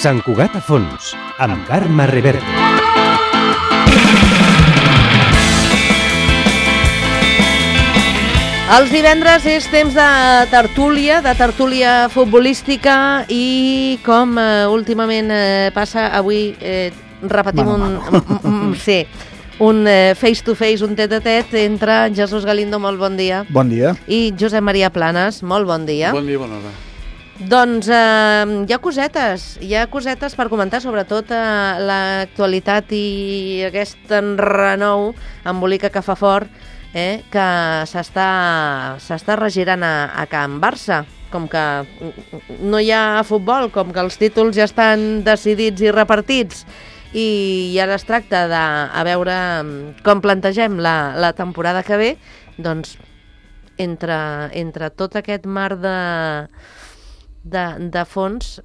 Sant Cugat a fons, amb Carme Reverte. Els divendres és temps de tertúlia futbolística i com últimament passa, avui repetim un face-to-face, un tet-a-tet entre Jesús Galindo, molt bon dia. Bon dia. I Josep Maria Planes, molt bon dia. Bon dia, bona hora. Doncs hi ha cosetes per comentar, sobretot l'actualitat i aquest enrenou embolica que fa fort, que s'està regirant a Can Barça. Com que no hi ha futbol, com que els títols ja estan decidits i repartits, i ara es tracta de veure com plantegem la temporada que ve, doncs entre tot aquest mar de fons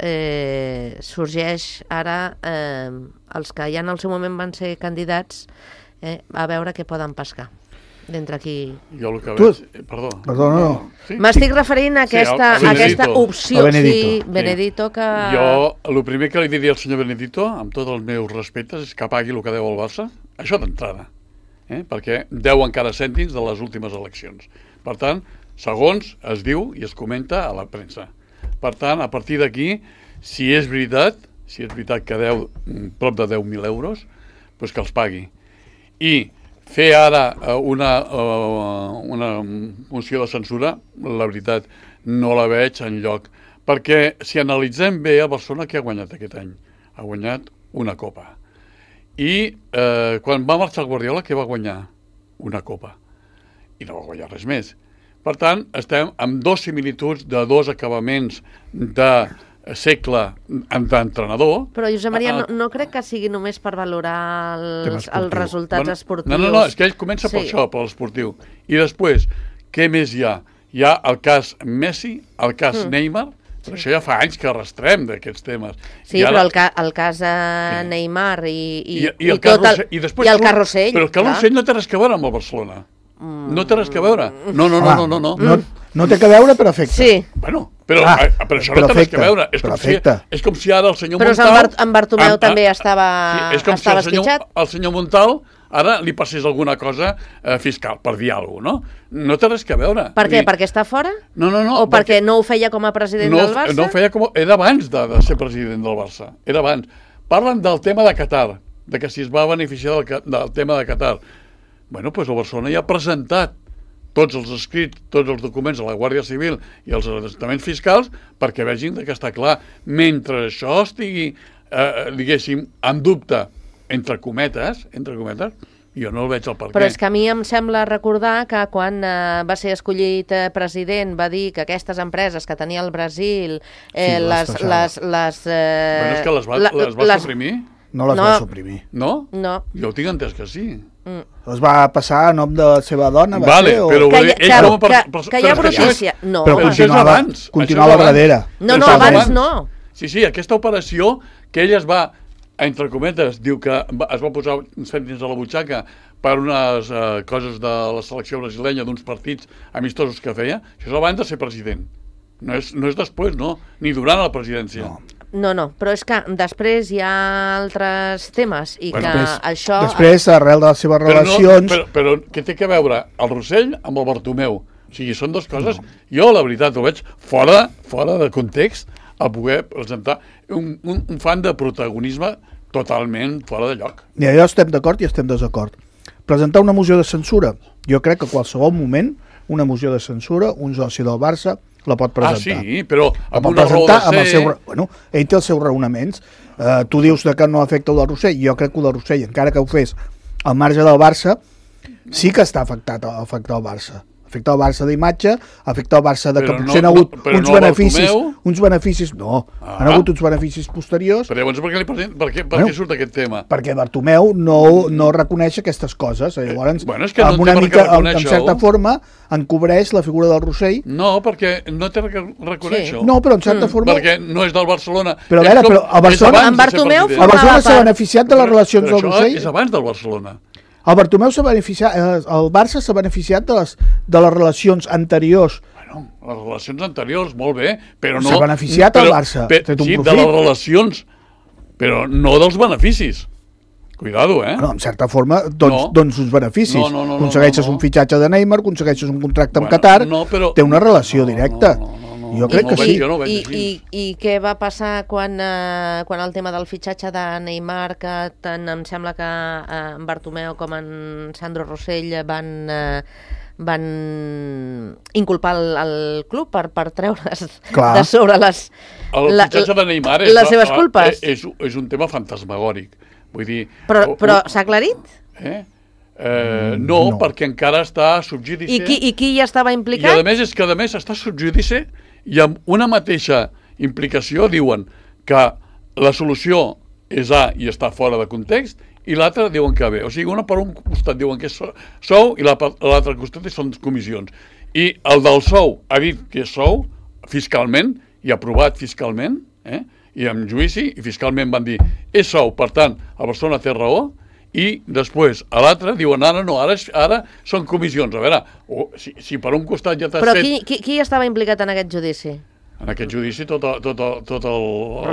sorgeix ara els que ja en el seu moment van ser candidats a veure què poden pescar d'entre aquí. Jo el que veig... Perdó, no. Sí? M'estic referint a aquesta opció. Benedito, que... Jo, el primer que li diria al senyor Benedito, amb tots els meus respectes, és que pagui el que deu al Barça. Això d'entrada. Perquè deu encara cèntims de les últimes eleccions. Per tant, segons es diu i es comenta a la premsa. Per tant, a partir d'aquí, si és veritat que deu prop de 10.000 euros, doncs que els pagui. I fer ara una moció de censura, la veritat, no la veig enlloc. Perquè si analitzem bé, el Barcelona què ha guanyat aquest any? Ha guanyat una copa. I quan va marxar el Guardiola, què va guanyar? Una copa. I no va guanyar res més. Per tant, estem amb dos similituds de dos acabaments de segle d'entrenador. Però, Josep Maria, no crec que sigui només per valorar els resultats esportius. No, és que ell comença per això, per l'esportiu. I després, què més hi ha? Hi ha el cas Messi, el cas Neymar, però això ja fa anys que arrastrem d'aquests temes. Sí, però el cas Neymar i el cas Rossell... Però el cas Rossell no té res a veure amb el Barcelona. No té res a veure. No. No té que veure, però afecta. Sí. Bueno, però això no té res a veure. És com si ara el senyor Montal... Però en Bartomeu també estava esquitxat. El senyor Montal ara li passés alguna cosa fiscal, per dir alguna cosa, no? No té res a veure. Per què? Perquè està fora? No. O perquè no ho feia com a president del Barça? No ho feia com... Era abans de ser president del Barça. Era abans. Parlen del tema de Qatar, de que si es va beneficiar del tema de Qatar. Bueno, doncs el Barcelona ja ha presentat tots els escrits, tots els documents a la Guàrdia Civil i als ajuntaments fiscals perquè vegin que està clar. Mentre això estigui, diguéssim, en dubte, entre cometes, jo no el veig el per què. Però és que a mi em sembla recordar que quan va ser escollit president va dir que aquestes empreses que tenia el Brasil... Bueno, és que les va suprimir. No les va suprimir. No? No. Jo ho tinc entès que sí. Es va passar a nom de la seva dona, vale, però que hi ha brutícia. No, però continuava darrere. No, abans no. Sí, aquesta operació que ell es va, entre cometes, diu que es va posar cèntims a la butxaca per unes coses de la selecció brasilenya, d'uns partits amistosos que feia, això és abans de ser president. No és després, no, ni durant la presidència. No, però és que després hi ha altres temes i que això... Després, arrel de les seves relacions... Però què té que veure el Rossell amb el Bartomeu? O sigui, són dues coses... Jo, la veritat, ho veig fora de context a poder presentar un fan de protagonisme totalment fora de lloc. I allò estem d'acord i estem desacord. Presentar una moció de censura. Jo crec que a qualsevol moment una moció de censura, un soci del Barça la pot presentar. Ah, sí, però amb una raó de ser... Bueno, ell té els seus raonaments. Tu dius que no afecta el del Rossell. Jo crec que el del Rossell, encara que ho fes al marge del Barça, sí que està afectat el Barça. Afecta el Barça d'imatge, afecta el Barça de que potser han hagut uns beneficis... No, han hagut uns beneficis posteriors. Però llavors per què surt aquest tema? Perquè Bartomeu no reconeix aquestes coses. Llavors, amb una mica, en certa forma, encobreix la figura del Rossell. No, perquè no té que reconèixer-ho. No, però en certa forma... Perquè no és del Barcelona. Però a veure, el Barcelona s'ha beneficiat de les relacions del Rossell. Però això és abans del Barcelona. El Bartomeu s'ha beneficiat, el Barça s'ha beneficiat de les relacions anteriors. Bueno, les relacions anteriors, molt bé, però no... S'ha beneficiat el Barça. Sí, de les relacions però no dels beneficis. Cuidado, No, en certa forma, doncs uns beneficis. Aconsegueixes un fitxatge de Neymar, aconsegueixes un contracte amb Qatar, té una relació directa. Jo crec que sí. I què va passar quan el tema del fitxatge de Neymar, que tant em sembla que en Bartomeu com en Sandro Rossell van inculpar el club per treure's de sobre les fitxatge de Neymar les seves culpes? És un tema fantasmagòric. Vull dir... Però s'ha aclarit? No, perquè encara està sub judice. I qui hi estava implicat? I a més és que està sub judice i amb una mateixa implicació diuen que la solució és A i està fora de context i l'altre diuen que B. O sigui, una per un costat diuen que és sou i l'altre costat són comissions. I el del sou ha dit que és sou fiscalment i aprovat fiscalment, i amb judici, i fiscalment van dir és sou, per tant, la persona té raó, i després a l'altre diuen ara no, ara són comissions. A veure, si per un costat ja t'has fet... Però qui estava implicat en aquest judici? En aquest judici tot el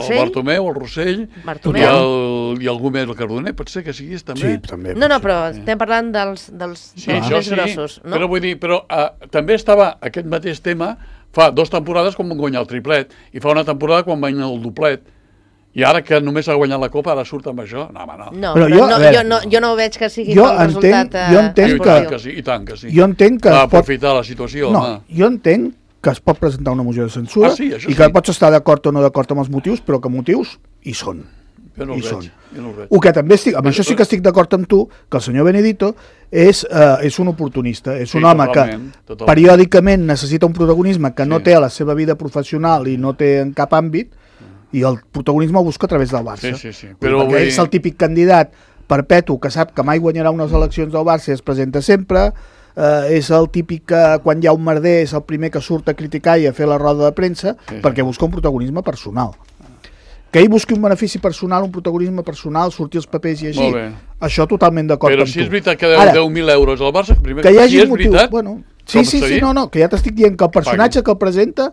Bartomeu, el Rossell i algú més, el Cardoner, pot ser que siguis també? Sí, també. No, però estem parlant dels més grossos, no? Però vull dir, també estava aquest mateix tema fa 2 temporades quan van guanyar el triplet i fa una temporada quan van guanyar el duplet. I ara que només ha guanyat la Copa, ara surt amb això? No, home, no. No, però jo no veig que sigui pel resultat esportiu. I tant que sí. Jo entenc que aprofitar la situació, home. Jo entenc que es pot presentar una moció de censura i que pots estar d'acord o no d'acord amb els motius, però que motius hi són. Jo no els veig. El que també amb això sí que estic d'acord amb tu, que el senyor Benedito és un oportunista, és un home que periòdicament necessita un protagonisme que no té a la seva vida professional i no té en cap àmbit, i el protagonisme ho busca a través del Barça. Perquè és el típic candidat perpetu que sap que mai guanyarà unes eleccions del Barça i es presenta sempre, és el típic que quan hi ha un merder és el primer que surt a criticar i a fer la roda de premsa, perquè busca un protagonisme personal. Que ell busqui un benefici personal, un protagonisme personal, sortir els papers i així, això totalment d'acord amb tu. Però si és veritat que deu 10.000 euros al Barça, primer que hi hagi motiu, sí, que ja t'estic dient que el personatge que el presenta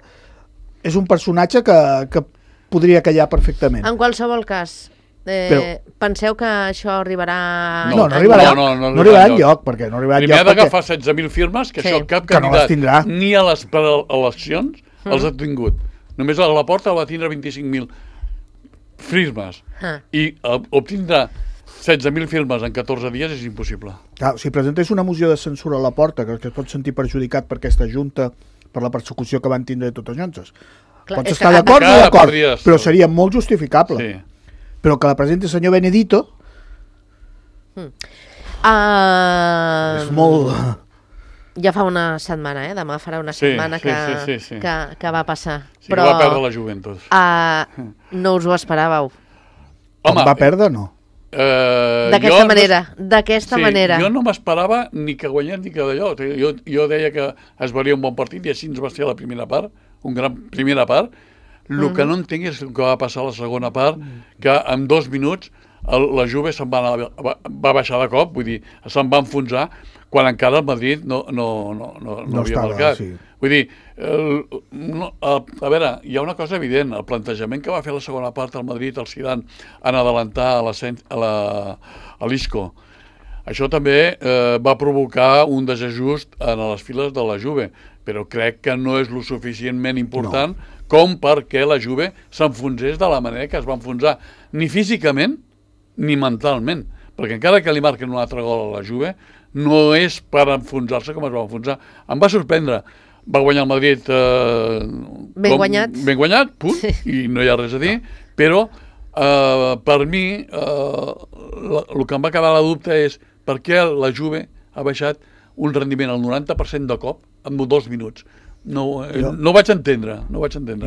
és un personatge que podria callar perfectament. En qualsevol cas, penseu que això arribarà... No arribarà enlloc, perquè no arribarà enlloc. Primer ha d'agafar 16.000 firmes, que això cap candidat ni a les eleccions els ha tingut. Només a la porta va tindre 25.000 firmes. I obtindrà 16.000 firmes en 14 dies és impossible. Si presentés una moció de censura a la porta, que es pot sentir perjudicat per aquesta junta, per la persecució que van tindre totes llonces, pots estar d'acord o no d'acord, però seria molt justificable. Però que la presenti el senyor Benedito és molt... Ja fa una setmana, demà farà una setmana que va passar. Sí, però va perdre la Juventus. No us ho esperàveu. Home, va perdre, no? D'aquesta manera. Jo no m'esperava ni que guanyés ni que d'allò. Jo deia que es veuria un bon partit i així ens va ser la primera part, una gran primera part. El que no entenc és el que va passar a la segona part, que en 2 minuts la Juve va baixar de cop, vull dir, se'n va enfonsar, quan encara el Madrid no havia marcat. Vull dir, a veure, hi ha una cosa evident, el plantejament que va fer la segona part al Madrid, el Zidane, en adelantar a l'Isco, això també va provocar un desajust en les files de la Juve, però crec que no és lo suficientment important com perquè la Juve s'enfonsés de la manera que es va enfonsar, ni físicament ni mentalment, perquè encara que li marquen un altre gol a la Juve, no és per enfonsar-se com es va enfonsar. Em va sorprendre. Va guanyar el Madrid ben guanyat, i no hi ha res a dir, però per mi el que em va quedar la dubte és per què la Juve ha baixat un rendiment al 90% de cop en 2 minuts. No ho vaig entendre.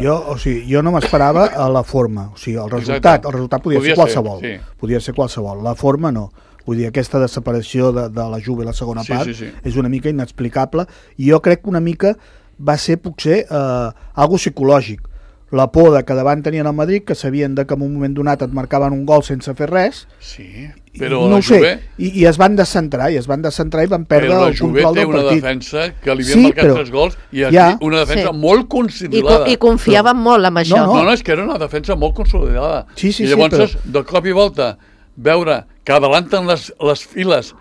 Jo no m'esperava a la forma. O sigui, el resultat podia ser qualsevol. Podia ser qualsevol. La forma no. Vull dir, aquesta desaparició de la Juve a la segona part és una mica inexplicable i jo crec que una mica va ser potser algo psicològic, la por de que davant tenien el Madrid, que sabien que en un moment donat et marcaven un gol sense fer res. Sí, però no la Juve... I es van descentrar, i van perdre el control del partit. Però la Juve té una defensa que li havien marcat 3 gols i una defensa molt consolidada. I confiaven molt en això. No, és que era una defensa molt consolidada. Sí, I llavors, de cop i volta, veure que adelanten les files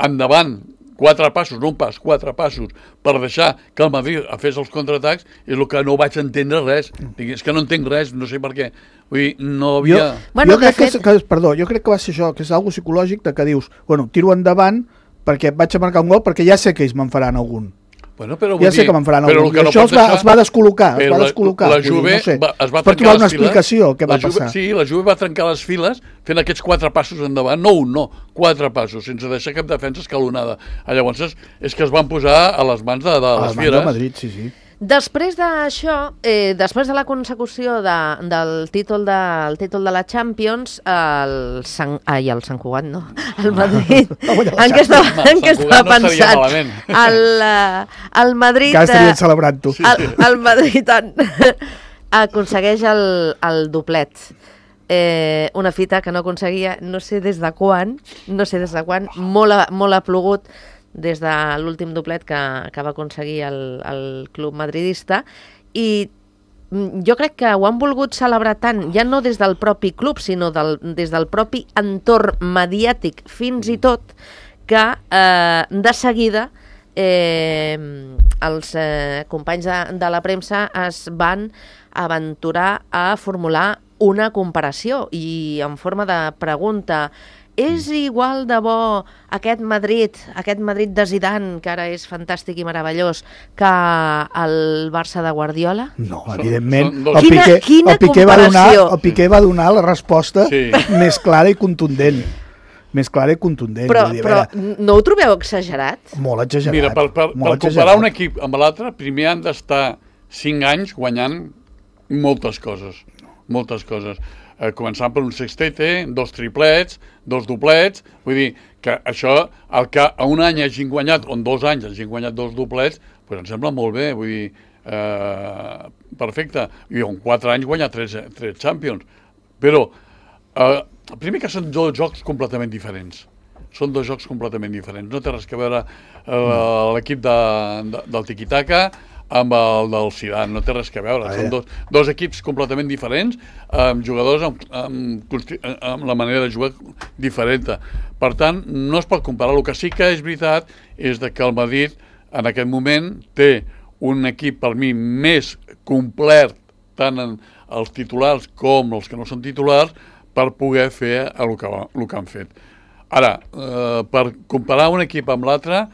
endavant 4 passos, no un pas, 4 passos, per deixar que el Madrid fes els contraatacs, és el que no vaig entendre res. És que no entenc res, no sé per què. Vull dir, no havia... Jo crec que va ser això, que és algo psicològic, de que dius, bueno, tiro endavant perquè vaig a marcar un gol, perquè ja sé que ells me'n faran algun. Bueno, però ja sé que me'n faran algun. No això els va descol·locar. La Juve es va per trobar una explicació què va passar. Sí, la Juve va trencar les files fent aquests 4 passos endavant, no un, no, 4 passos, sense deixar cap defensa escalonada. Llavors és que es van posar a les mans de les fieres. A Madrid, sí. Després d'això, després de la consecució del títol de la Champions, el Sant Cugat, no, el Madrid, en què estava pensant? El Madrid... Que estarien celebrant tu. El Madrid aconsegueix el doblet. Una fita que no aconseguia, no sé des de quan, molt ha plogut des de l'últim doblet que va aconseguir el club madridista, i jo crec que ho han volgut celebrar tant, ja no des del propi club, sinó des del propi entorn mediàtic, fins i tot, que de seguida els companys de la premsa es van aventurar a formular una comparació, i en forma de pregunta: és igual de bo aquest Madrid de Zidane, que ara és fantàstic i meravellós, que el Barça de Guardiola? No, evidentment. Quina comparació! El Piqué va donar la resposta més clara i contundent. Però no ho trobeu exagerat? Molt exagerat. Mira, per comparar un equip amb l'altre, primer han d'estar 5 anys guanyant moltes coses. Començant per un sextete, 2 triplets, 2 doblets, vull dir que això, el que a un any hagin guanyat, o en 2 anys hagin guanyat 2 doblets, doncs em sembla molt bé, vull dir, perfecte. I en 4 anys guanyar 3 Champions. Però, primer que són 2 jocs completament diferents. No té res que veure l'equip del tiki-taka amb el del Zidane, no té res que veure. Són dos equips completament diferents, amb jugadors amb la manera de jugar diferent. Per tant, no es pot comparar. El que sí que és veritat és que el Madrid en aquest moment té un equip per mi més complet, tant en els titulars com els que no són titulars, per poder fer el que han fet. Ara, per comparar un equip amb l'altre,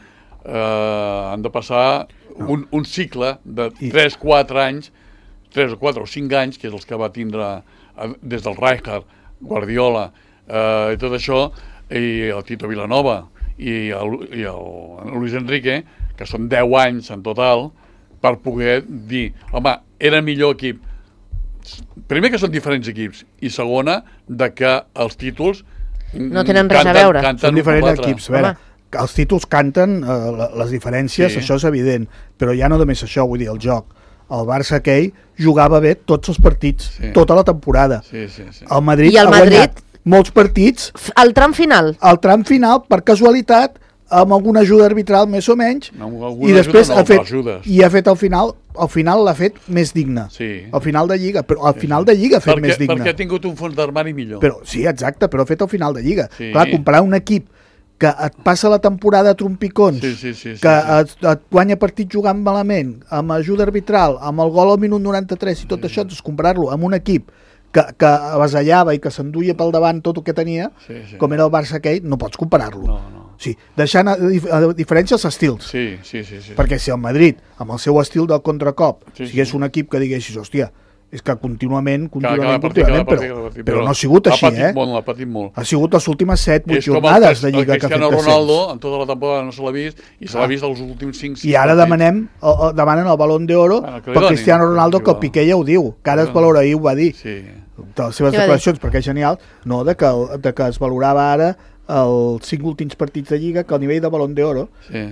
han de passar un cicle de 3-4 anys, 3 o 4 o 5 anys, que és els que va tindre des del Rijkaard, Guardiola, i tot això, i el Tito Vilanova i el Luis Enrique, que són 10 anys en total, per poder dir, home, era millor equip. Primer que són diferents equips, i segona, que els títols no tenen res a veure. Són diferents equips, a veure. Els títols canten les diferències, això és evident, però ja no només això, vull dir, el joc. El Barça aquell jugava bé tots els partits, tota la temporada. El Madrid ha guanyat molts partits. El tram final, per casualitat, amb alguna ajuda arbitral més o menys, i després ha fet al final l'ha fet més digne. Al final de Lliga, però al final de Lliga ha fet més digne. Perquè ha tingut un fons d'armari millor. Sí, exacte, però ha fet al final de Lliga. Clar, comparar un equip que et passa la temporada a trompicons, que et guanya partit jugant malament, amb ajuda arbitral, amb el gol al minut 93 i tot això, comparar-lo amb un equip que avasallava i que s'enduia pel davant tot el que tenia, com era el Barça aquell, no pots comparar-lo. Sí, deixant a diferència els estils. Perquè si el Madrid, amb el seu estil del contracop, sigués un equip que diguessis, hòstia, és que contínuament, però no ha sigut així, ha patit molt. Ha sigut les últimes 7-8 jornades de Lliga que ha fet Cristiano Ronaldo, en tota la temporada no se l'ha vist, i se l'ha vist els últims 5-6 I ara demanen el Balón d'Oro per Cristiano Ronaldo, que el Piqué ja ho diu, que ara es valora, ahir ho va dir, de les seves declaracions, perquè és genial, no, de que es valorava ara els 5 últims partits de Lliga, que al nivell de Balón d'Oro,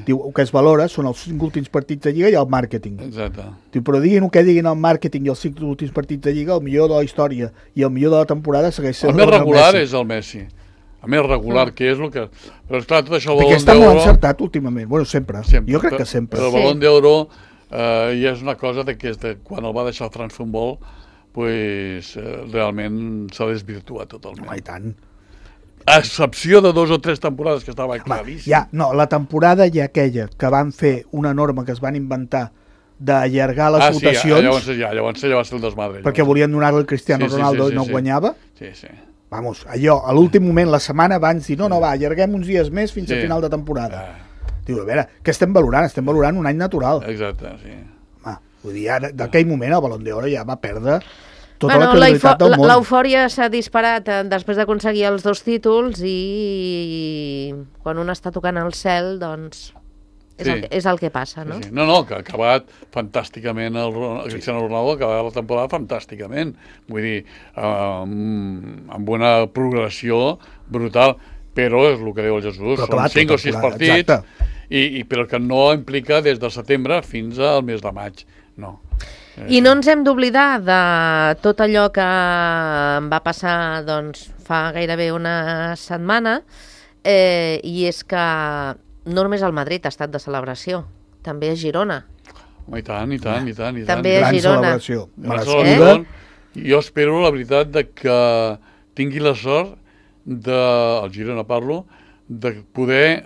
diu, el que es valora són els 5 últims partits de Lliga i el màrqueting. Exacte. Diu, però diguin el que diguin el màrqueting i els 5 últims partits de Lliga, el millor de la història i el millor de la temporada segueix sent el més regular és el Messi. El més regular, que és el que... Però esclar, tot això, el Balón d'Oro... Perquè està molt encertat últimament. Bueno, sempre. Jo crec que sempre. Però el Balón d'Oro ja és una cosa que quan el va deixar el France Football, pues, realment s'ha desvirtuat totalment. Home, i tant. A excepció de 2 o 3 temporades que estava claríssim. La temporada ja aquella que van fer una norma que es van inventar d'allargar les votacions... Llavors ja va ser el desmadre. Perquè volien donar-li al Cristiano Ronaldo i no guanyava. Sí. Vamos, allò, a l'últim moment, la setmana abans, dir, no, va, allarguem uns dies més fins a final de temporada. Diu, a veure, què estem valorant? Estem valorant un any natural. Exacte, sí. Vull dir, d'aquell moment el Balón d'Oro ja va perdre tota la credibilitat del món. L'eufòria s'ha disparat després d'aconseguir els 2 títols i quan un està tocant el cel, doncs... És el que passa, no? Sí. No, que ha acabat fantàsticament el Cristiano Ronaldo, ha acabat la temporada fantàsticament. Vull dir, amb una progressió brutal, però és el que diu el Jesús, són 5 o 6 partits, però que no implica des de setembre fins al mes de maig, no. I no ens hem d'oblidar de tot allò que va passar doncs, fa gairebé una setmana, i és que no només el Madrid ha estat de celebració, també a Girona. I tant. També a Girona. Gran celebració. Jo espero, la veritat, que tingui la sort el Girona parlo, de poder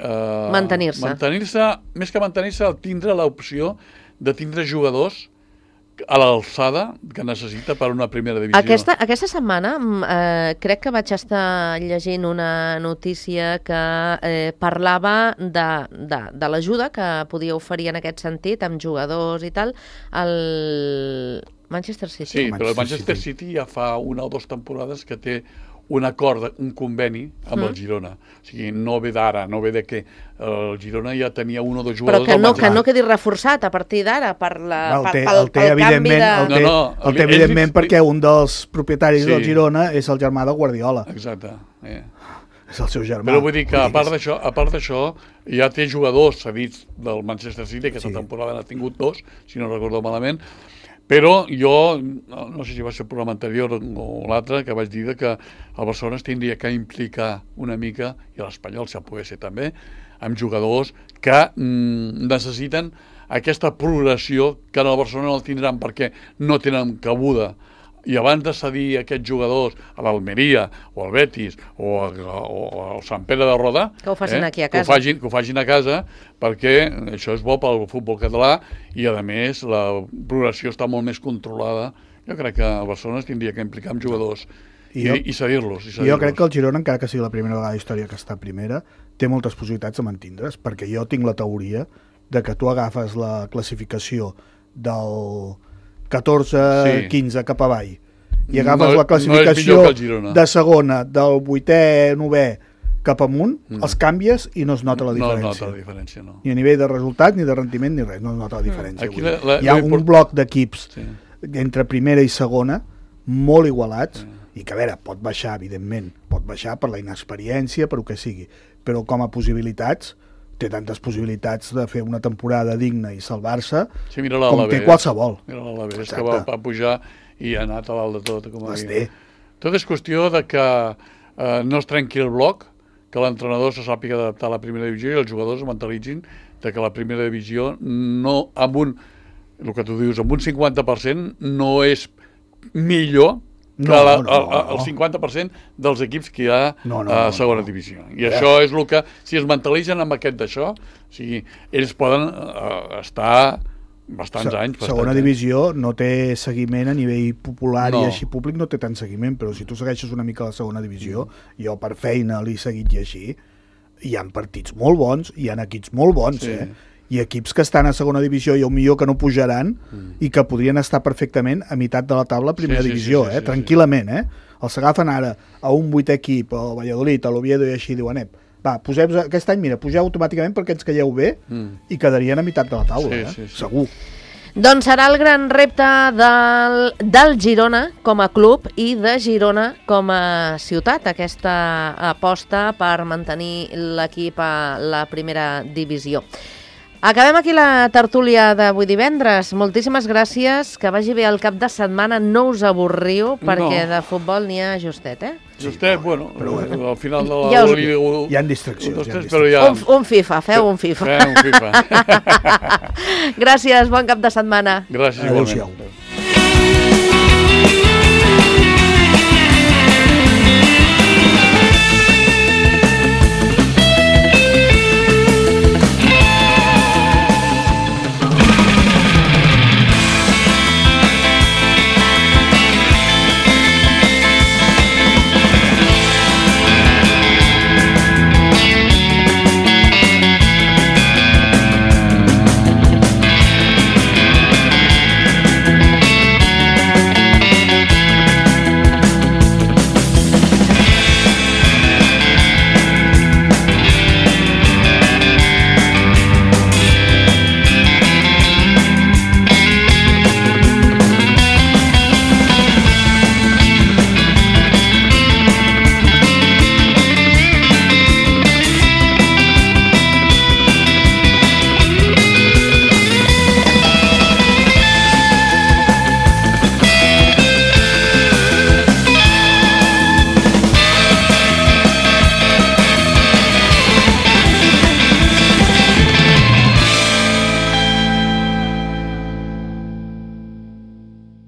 mantenir-se, més que mantenir-se, tindre l'opció de tindre jugadors a l'alçada que necessita per una primera divisió. Aquesta setmana crec que vaig estar llegint una notícia que parlava de l'ajuda que podia oferir en aquest sentit amb jugadors i tal el Manchester City. Sí, però el Manchester City ja fa 1 o 2 temporades que té un acord, un conveni amb el Girona. O sigui, no ve d'ara, no ve de que el Girona ja tenia 1 o 2 jugadors... Però que no quedi reforçat a partir d'ara pel canvi de... El té evidentment perquè un dels propietaris del Girona és el germà de Guardiola. Exacte. És el seu germà. Però vull dir que a part d'això ja té jugadors cedits del Manchester City, que aquesta temporada n'ha tingut 2, si no recordo malament. Però jo, no sé si va ser el programa anterior o l'altre, que vaig dir que el Barcelona es tindria que implicar una mica, i l'Espanyol, si pogués ser també, amb jugadors que necessiten aquesta progressió que en el Barcelona no el tindran perquè no tenen cabuda. I abans de cedir aquests jugadors a l'Almeria o al Betis o al Sant Pere de Roda, que ho facin aquí a casa. Que ho facin a casa, perquè això és bo pel futbol català i, a més, la progressió està molt més controlada. Jo crec que el Barcelona es tindria que implicar amb jugadors i cedir-los. Jo crec que el Girona, encara que sigui la primera vegada a la història que està primera, té moltes possibilitats de mantindre's, perquè jo tinc la teoria de que tu agafes la classificació del 14-15 cap avall i agafes la classificació de segona del 8è, 9è cap amunt, els canvies i no es nota la diferència. No es nota la diferència, no. Ni a nivell de resultat, ni de rendiment, ni res, no es nota la diferència. Hi ha un bloc d'equips entre primera i segona molt igualats i que, a veure, pot baixar, evidentment, pot baixar per la inexperiència, per el que sigui, però com a possibilitats té tantes possibilitats de fer una temporada digna i salvar-se com té qualsevol. Mira l'Alavés, que va pujar i ha anat a dalt de tot. Tot és qüestió de que no es trenqui el bloc, que l'entrenador se sàpiga adaptar a la primera divisió i els jugadors es mentalitzin de que la primera divisió no, el que tu dius, amb un 50% no és millor que el 50% dels equips que hi ha a segona divisió. I això és el que, si es mentalitzen amb aquest d'això, o sigui, ells poden estar bastants anys. Segona divisió no té seguiment a nivell popular i així públic no té tant seguiment, però si tu segueixes una mica la segona divisió, jo per feina l'he seguit llegir, hi ha partits molt bons, hi ha equips molt bons, i equips que estan a segona divisió i millor que no pujaran i que podrien estar perfectament a meitat de la taula a primera divisió, tranquil·lament. Els agafen ara a un 8è equip, al Valladolid, a l'Oviedo i així, diuen, va, poseu aquest any, mira, pugeu automàticament perquè ens calleu bé i quedarien a meitat de la taula, segur. Doncs serà el gran repte del Girona com a club i de Girona com a ciutat, aquesta aposta per mantenir l'equip a la primera divisió. Acabem aquí la tertúlia d'avui divendres. Moltíssimes gràcies, que vagi bé el cap de setmana, no us avorriu, perquè de futbol n'hi ha justet, Justet, bueno, al final de Ja la... Hi ha distraccions. Un FIFA, feu un FIFA. Fem un FIFA. Gràcies, bon cap de setmana. Gràcies, Adéu-siau. igualment.